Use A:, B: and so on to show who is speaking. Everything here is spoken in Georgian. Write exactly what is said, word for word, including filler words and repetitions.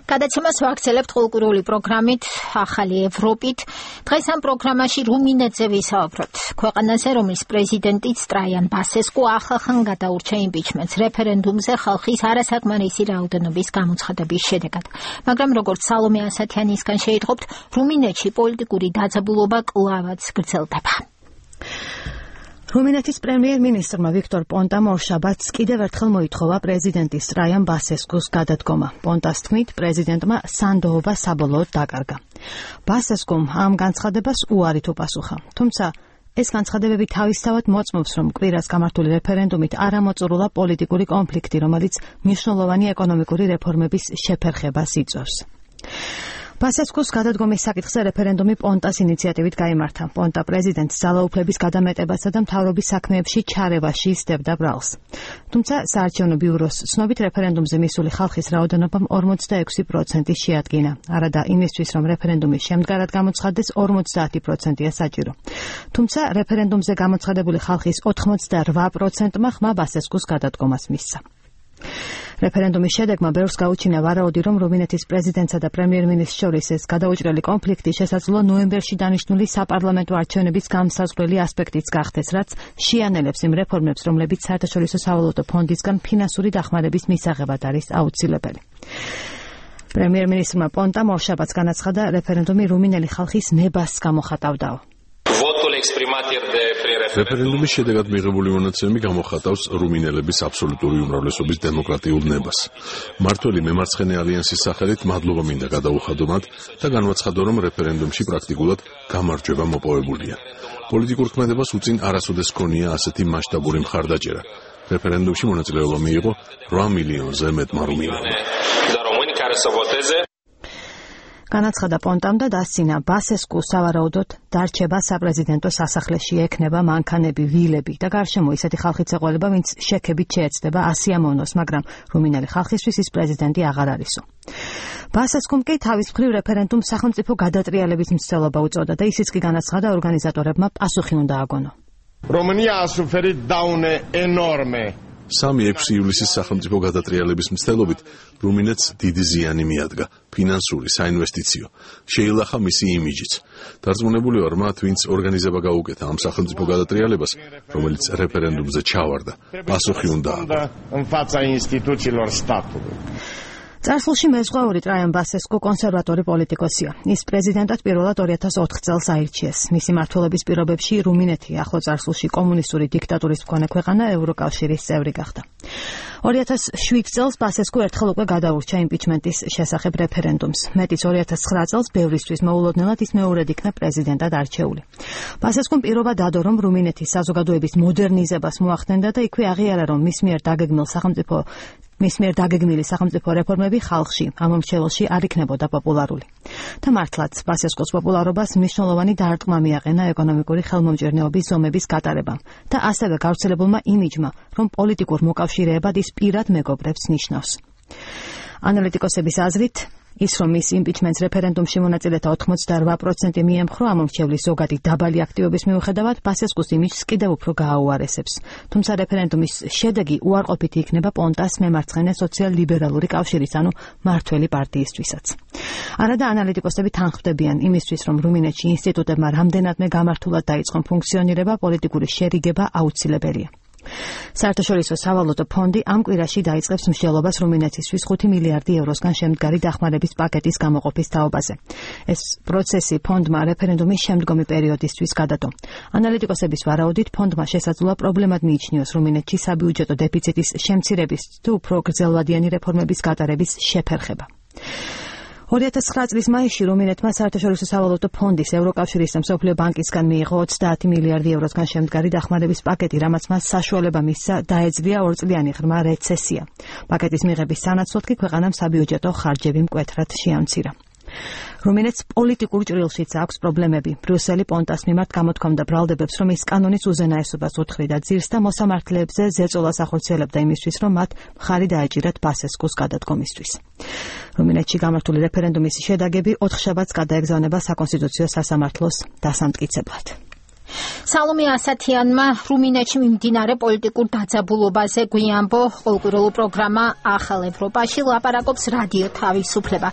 A: გადაცემას ვაგრძელებთ კულტურული პროგრამით ახალი ევროპით. დღეს ამ პროგრამაში რუმინეთზე ვისაუბროთ. ქვეყანაზე, რომლის პრეზიდენტიც ტრაიან ბასესკუ ახალხან გადაურჩა იმპიჩმენტს რეფერენდუმზე ხალხის არასაკმარისი რაოდენობის გამოცხადების შედეგად. მაგრამ როგორც სალომე ასათიანისგან შეიტყობთ, რუმინეთში პოლიტიკური დაძაბულობა კლავაც გრძელდება.
B: რუმინეთის პრემიერ-მინისტრმა ვიქტორ პონტამ ორშაბათს კიდევ ერთხელ მოითხოვა პრეზიდენტის ტრაიან ბასესკუს გადადგომა. პონტას თქმით, პრეზიდენტმა სანდოობა საბოლოოდ დაკარგა. ბასესკუმ ამ განცხადებას უარით უპასუხა. თუმცა ეს განცხადებები თავისთავად მოწმობს, რომ კვირას გამართული რეფერენდუმით არ ამოწურულა პოლიტიკური კონფლიქტი, რომელიც მნიშვნელოვანი ეკონომიკური რეფორმების შეფერხებას იწვევს. ბასესკუს გადადგომის საკითხზე რეფერენდუმი პონტას ინიციატივით გაიმართა. პონტა პრეზიდენტს ძალაუფლების გადამეტებასა და მთავრობის საქმეებში ჩარევაში ისდევდა ბრალს. თუმცა საარჩევნო ბიუროს ცნობით რეფერენდუმზე მისული ხალხის რაოდენობამ ორმოცდაექვსი პროცენტი შეადგინა. არადა იმისთვის, რომ რეფერენდუმი შემდგარად გამოცხადდეს, ორმოცდაათი პროცენტია საჭირო. თუმცა რეფერენდუმზე გამოცხადებული ხალხის ოთხმოცდარვა პროცენტმა ხმა ბასესკუს გადადგომას მისცა. რეფერენდუმის შედეგმა ბევრს გაუჩინა ვარაუდი, რომ რუმინეთის პრეზიდენტსა და პრემიერ-მინისტრს შორის ეს გადაუჭრელი კონფლიქტი შესაძლოა ნოემბერში დანიშნული საპარლამენტო არჩევნების გამსაზღვრელი ასპექტიც გახდეს, რაც შეანელებს იმ რეფორმებს, რომლებიც საერთაშორისო სავალუტო ფონდისგან ფინანსური დახმარების მისაღებად არის აუცილებელი. პრემიერ-მინისტრმა პონტამ ორშაბათს განაცხადა, რეფერენდუმი რუმინელი ხალხის ნებას გამოხატავდაო.
C: რეფერენდუმის შედეგად მიღებული მონაცემები გამოხატავს რუმინელების აბსოლუტური უმრავლესობის დემოკრატიულ ნებას. მმართველი მემარცხენე ალიანსის სახელით მადლობა მინდა გადაუხადო მათ და განვაცხადო, რომ რეფერენდუმში პრაქტიკულად გამარჯვება მოპოვებულია. პოლიტიკურ ქმედებას უწინ არასოდეს ჰქონია ასეთი მასშტაბური მხარდაჭერა. რეფერენდუმში მონაწილეობა მიიღო რვა მილიონზე მეტმა რუმინელმა.
B: განაცხადა პონტამ და დასცინა, ბასესკუ სავარაუდოდ დარჩება საპრეზიდენტო სასახლეში, ექნება მანქანები, ვილები და გარშემო ისეთი ხალხიც ეყოლება, ვინც შექებით შეეცდება ასი ამოვნოს, მაგრამ რუმინელი ხალხისთვის ის პრეზიდენტი აღარ არისო. ბასესკუმ კი თავის მხრივ რეფერენდუმს სახელმწიფო გადატრიალების მცდელობა უწოდა და ისიც კი განაცხადა, ორგანიზატორებმა პასუხი უნდა აგონო.
D: România a suferit daune enorme.
C: სამი ექვსი ივლისის სახელმწიფო გადატრიალების მცდელობით რუმინეთს დიდი ზიანი მიადგა, ფინანსური, საინვესტიციო. შეილახა მისი იმიჯიც. დარწმუნებული ვარ მათ, ვინც ორგანიზება გაუკეთა ამ სახელმწიფო გადატრიალებას, რომელიც რეფერენდუმზე ჩავარდა. პასუხი უნდა
D: აგონ.
B: წარსულში მეზღვაური ტრაიან ბასესკუ კონსერვატორი პოლიტიკოსია. ის პრეზიდენტად პირველად ორი ათას ოთხ წელს აირჩიეს. მისი მმართველობის პირობებში რუმინეთი ახლო წარსულში კომუნისტური დიქტატურის მქონე ქვეყანა ევროკავშირის წევრი გახდა. ორი ათას შვიდ წელს ბასესკუ ერთხელ უკვე გადაურჩა იმპიჩმენტის შესახებ რეფერენდუმს. მეტიც ორი ათას ცხრა წელს ბევრისთვის მოულოდნელად ის მეორედ იქნა პრეზიდენტად არჩეული. ბასესკუმ პირობა დადო, რომ რუმინეთის საზოგადოების მოდერნიზებას მოახდენდა და იქვე აღიარა, რომ მის მიერ დაგეგმილ სახელმწიფო მის მიერ დაგეგმილი სახელმწიფო რეფორმები ხალხში, ამ მომრჩეველში არ იქნებოდა პოპულარული. და მართლაც, ბასესკუს პოპულარობას მნიშვნელოვანი დარტყმა მიაყენა ეკონომიკური ხელმომჭირნეობის ზომების გატარებამ და ასევე გავრცელებულმა იმიჯმა, რომ პოლიტიკურ მოკავშირეებად ის პირად მეგობრებს ნიშნავს. ანალიტიკოსების აზრით, ის რომ ის იმპიჩმენტს რეფერენდუმში მონაწილეთა ოთხმოცდარვა პროცენტი მიემხრო ამომრჩევლის ზოგადი დაბალი აქტივობის მიუხედავად, ბასესკუს იმიჯს კიდევ უფრო გააუარესებს. თუმცა რეფერენდუმის შედეგი უარყოფითი იქნება პონტას მემარცხენე სოციალ-ლიბერალური კავშირის, ანუ მმართველი პარტიისთვისაც. არადა ანალიტიკოსები თანხმდებიან იმისთვის, რომ რუმინეთში ინსტიტუტებმა რამდენადმე გამართულად დაიწყონ ფუნქციონირება, პოლიტიკური შერიგება აუცილებელია. საერთაშორისო სავალუტო ფონდი ამ კვირაში დაიწყებს მსჯელობას რუმინეთისთვის ხუთი მილიარდი ევროსგან შემდგარი დახმარების პაკეტის გამოყოფის თაობაზე. ეს პროცესი ფონდმა რეფერენდუმის შემდგომი პერიოდისთვის გადადო. ანალიტიკოსების ვარაუდით, ფონდმა შესაძლოა პრობლემად მიიჩნიოს რუმინეთში საბიუჯეტო დეფიციტის შემცირების თუ უფრო გრძელვადიანი რეფორმების გატარების შეფერხება. ორი ათას ცხრა წლის მაისში რუმინეთმა საერთაშორისო სავალუტო ფონდის, ევროკავშირის და მსოფლიო ბანკისგან მიიღო ოცდაათი მილიარდი ევროსგან შემდგარი დახმარების პაკეტი, რამაც მას საშუალება მისცა დაეძლია ორწლიანი ღრმა რეცესია. პაკეტის მიღების სანაცვლოდ კი ქვეყანამ საბიუჯეტო ხარჯები მკვეთრად შეამცირა. რუმინეთს პოლიტიკურ ჭრილშიც აქვს პრობლემები. ბრიუსელი პონტას მიმართ გამოთქვამდა ბრალდებებს, რომ ის კანონის უზენაესობას უთხრიდა ძირს და მოსამართლეებზე ზეწოლას ახორციელებდა იმისთვის, რომ მათ მხარი დაეჭირათ ბასესკუს გადადგომისთვის. რუმინეთში გამართული რეფერენდუმის შედეგები ოთხშაბათს გადაეგზავნება საკონსტიტუციო სასამართლოს დასამტკიცებლად.
A: სალომე ასათიანმა რუმინეთში მიმდინარე პოლიტიკურ დაძაბულობაზე გვიამბო. Ყოველკვირეულ პროგრამა ახალ ევროპაში ლაპარაკობს რადიო თავისუფლება.